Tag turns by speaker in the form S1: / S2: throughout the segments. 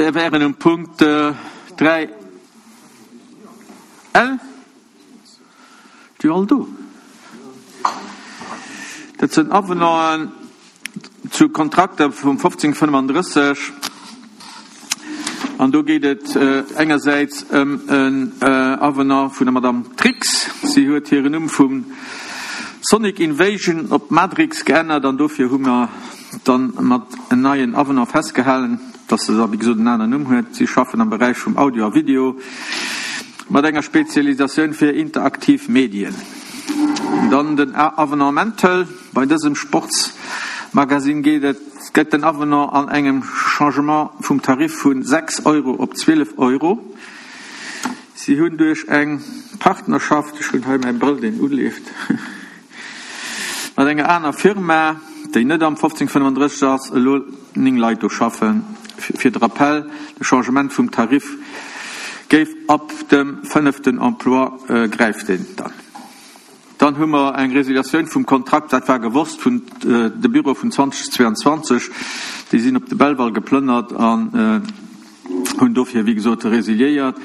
S1: Mir wären um Punkt 3 L. Déi all do. Dat sinn Avenanten zu Kontrakter vum 1535. An do geet et engersäits ëm en Avenant vun der Madame Trix. Si huet hiren Numm vu Sonic Invasion op Madrix geännert an dofir hu mer dann mat en neien Avenant festgehalen, dass se da wéi gesot en aneren Numm huet. Si schaffen am Beräich vum Audio a Video mat enger Spezialisatioun fir interaktiv Medien. Dann den Avenant Mental. Bei dësem Sportsmagasinn geet et gëtt den Avenant an engem Changement vum Tarif vu 6 Euro op 12 Euro. Si hunn duerch eng Partnerschaft, ech hunn hei mäi Brëll deen uleeft, mat enger aner Firma, déi net am 1535 ass, elo 9 Leit do schaffen. Fir de Rappell, de Changement vum Tarif géif ab dem fënneften Emploi gräift deen dann. Dann hu mer eng Resiliatioun vum Kontrakt, dat war gewosst, vun de Büro vun 2022. Déi sinn op de Belval geplënnert an hunn dofir, wéi gesot, resiliéiert.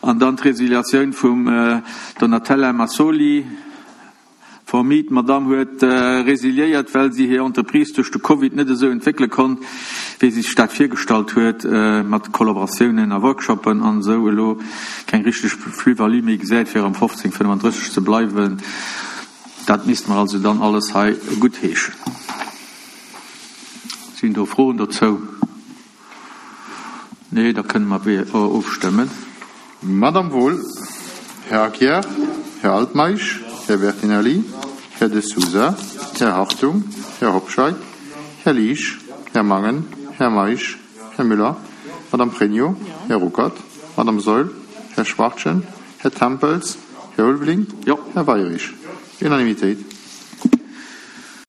S1: An dann d'Resiliatioun vum Donatella Massoli. Formi, D'Madamm huet resiliéiert, well si hir Entreprise duerch de Covid net esou entwéckele konnt, wéi si sech dat virgestallt huet, mat Kollaboratiounen a Workshoppen an esou elo keng richteg Plus-value méi gesäit, fir am 1535 ze bleiwen. Dat misste mer also dann alles hei guttheeschen. Sinn do Froen dozou? Nee, da kënne mer ofstëmmen.
S2: Madame Wohl, Här Aguiar, Här Altmeisch, Här Bertinelli, Här De Sousa, Här Hartung, Här Hobscheit, Här Liesch, Här Mangen, Här Meisch, Här Müller, Madame Pregno, Här Ruckert, Madame Saeul, Här Schwachtgen, Här Tempels, Här Ulveling, Här Weirich. Unanimitéit.